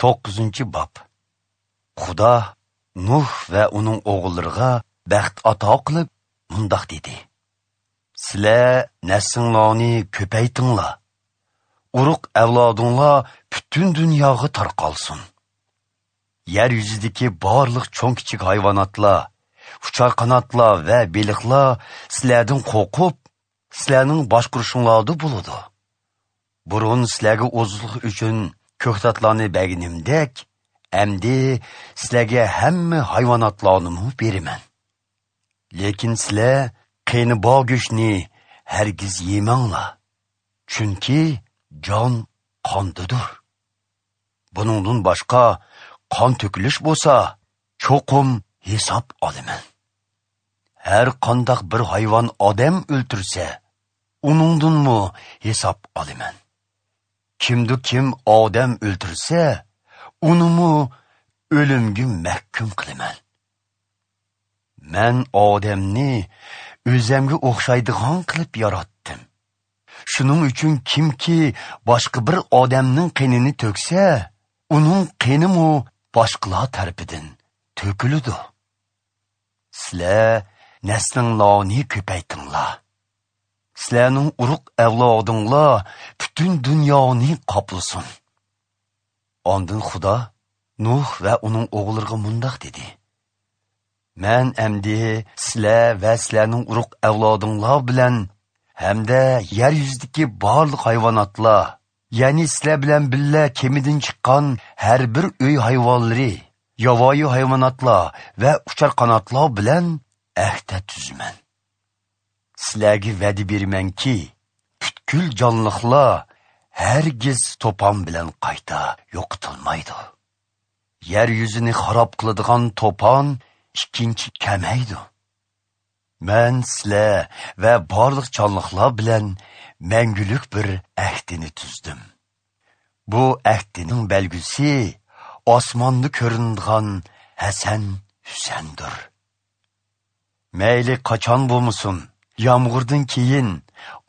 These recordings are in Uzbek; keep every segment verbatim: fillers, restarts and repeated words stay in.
To'qqizinchi bob. Xudo Nuh va uning o'g'illariga baxt ato qilib mundoq dedi: Sizlar naslinglarni ko'paytinglar. Urug' avlodinglar butun dunyoga tarqalsin. Yer yuzidagi barliq cho'ng kichik hayvonotlar, uchar qanotlar va beliqlar sizlardan qo'rqib, sizlarning boshqurishinglarda bo'ladi. Burun sizlarga oziqlik uchun ko'ktatlarni berganimdek, endi sizlarga hamma hayvonotlarni beraman. Lekin sizlar qeni bor go'shtni hargiz yemanglar, chunki jon qondadir. Buningdan boshqa qon to'kilish bo'lsa, cho'qim hisob olaman. Har qandaq bir hayvon odam o'ltirsa, uningdanmi hisob olaman. Kimdu kim odam o'ltirsa, unimi o'limga mahkum qilaman. Men odamni o'zimga o'xshaydigan qilib yaratdim. Shuning uchun kimki boshqa bir odamning qenini to'ksa, uning qenimi boshqalar tarafidan to'kiladi. Sizlar naslinglarni ko'paytinglar. Sizlarning urug' avlodinglar butun dunyoni qoplasin. Ondan Xudo Nuh va uning o'g'illariga mundoq dedi: Men endi sizlar va sizlarning urug' avlodinglar bilan hamda yer yuzidagi barliq hayvonotlar, ya'ni sizlar bilan birga kemidan chiqqan har bir uy hayvonlari, yovvoyi hayvonotlar va uchar qanotlar bilan ahd tuzman. Sizlarga va'da beramanki, butkul jonliqlar hargiz to'pon bilan qayta yo'qotilmaydi. Yer yuzini xarob qiladigan to'pon ikkinchi kamaydi. Men sizlar va barliq jonliqlar bilan mangulik bir ahdini tuzdim. Bu ahdining belgisi osmonda ko'rinadigan Hasan Husandir. Mayli qachon bo'lmasin, yomg'irdan keyin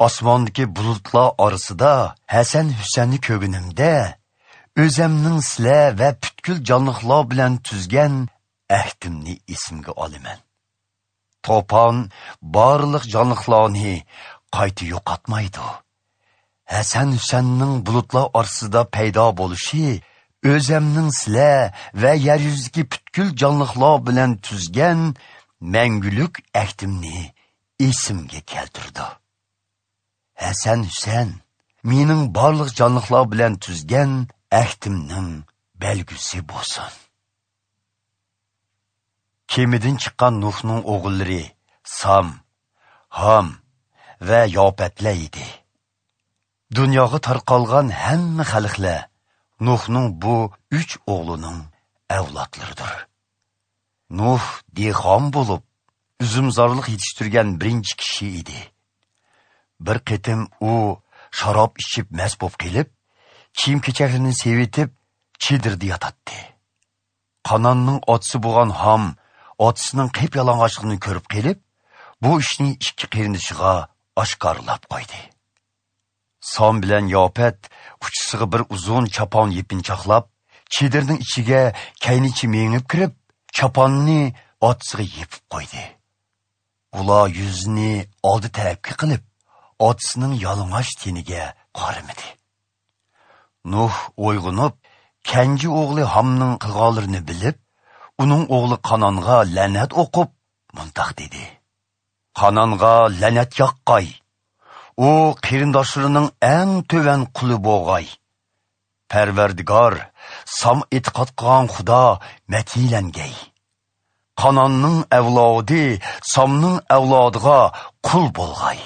osmondagi bulutlar orasida Hasan Husanni ko'rganimda, o'zimning sizlar va butkul jonliqlar bilan tuzgan ahdimni esimga olaman. To'pon barliq jonliqlarni qayta yo'qotmaydi. Hasan Husanning bulutlar orasida paydo bo'lishi o'zimning sizlar va yer yuzidagi butkul jonliqlar bilan tuzgan mangulik ahdimni esimga keltirdi. Hasan Husan mening barliq jonliqlar bilan tuzgan ahdimning belgisi bo'lsin. Kemidan chiqqan Nuhning o'g'illari Sam, Ham va Yopatlar edi. Dunyoga tarqalgan hamma xalqlar Nuhning bu uch o'g'lining avlodlaridir. Nuh dehqon bo'lib, uzumzorlik yetishtirgan birinchi kishi edi. Bir qitim u sharob ichib mast bo'lib kelib, kiyim-kechaklarini sevitib, chedirda yotadi. Qanonning otasi bo'lgan Ham otasining qip yalang'ochligini ko'rib kelib, bu ishni ikki qarindishiga oshkorlab qo'ydi. Som bilan Yopat uchisiga bir uzun chapon yepinchoqlab, chedirning ichiga kaynichi mengib kirib, chaponni otasiga yepib qo'ydi. Ular yuzini oldi tarafga qilib, otasining yalang'och teniga qaramadi. Nuh uyg'onib, kenji o'g'li Hamning qilganlarini bilib, uning o'g'li Qanonga la'nat o'qib, mundoq dedi: Qanonga la'nat yoqqay. U qarindoshlarining eng tuvan quli bo'g'ay. Parvardigor, Sam e'tiqod qilgan Xudo matilangay. Qanonning avlodi Samning avlodiga qul bo'lg'ay.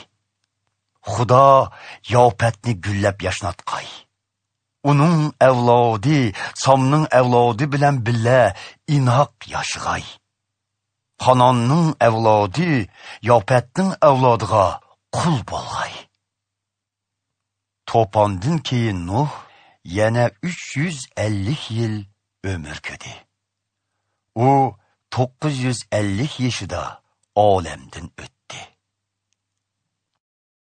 Xudo Yopatni gullab yashnatqay. Uning avlodi Samning avlodi bilan birga inoq yashag'ay. Qanonning avlodi Yopatning avlodiga qul bo'lg'ay. To'pondan keyin Nuh yana uch yuz ellik yil umr ko'rdi. U to'qqiz yuz ellik yoshida olamdan o'tdi.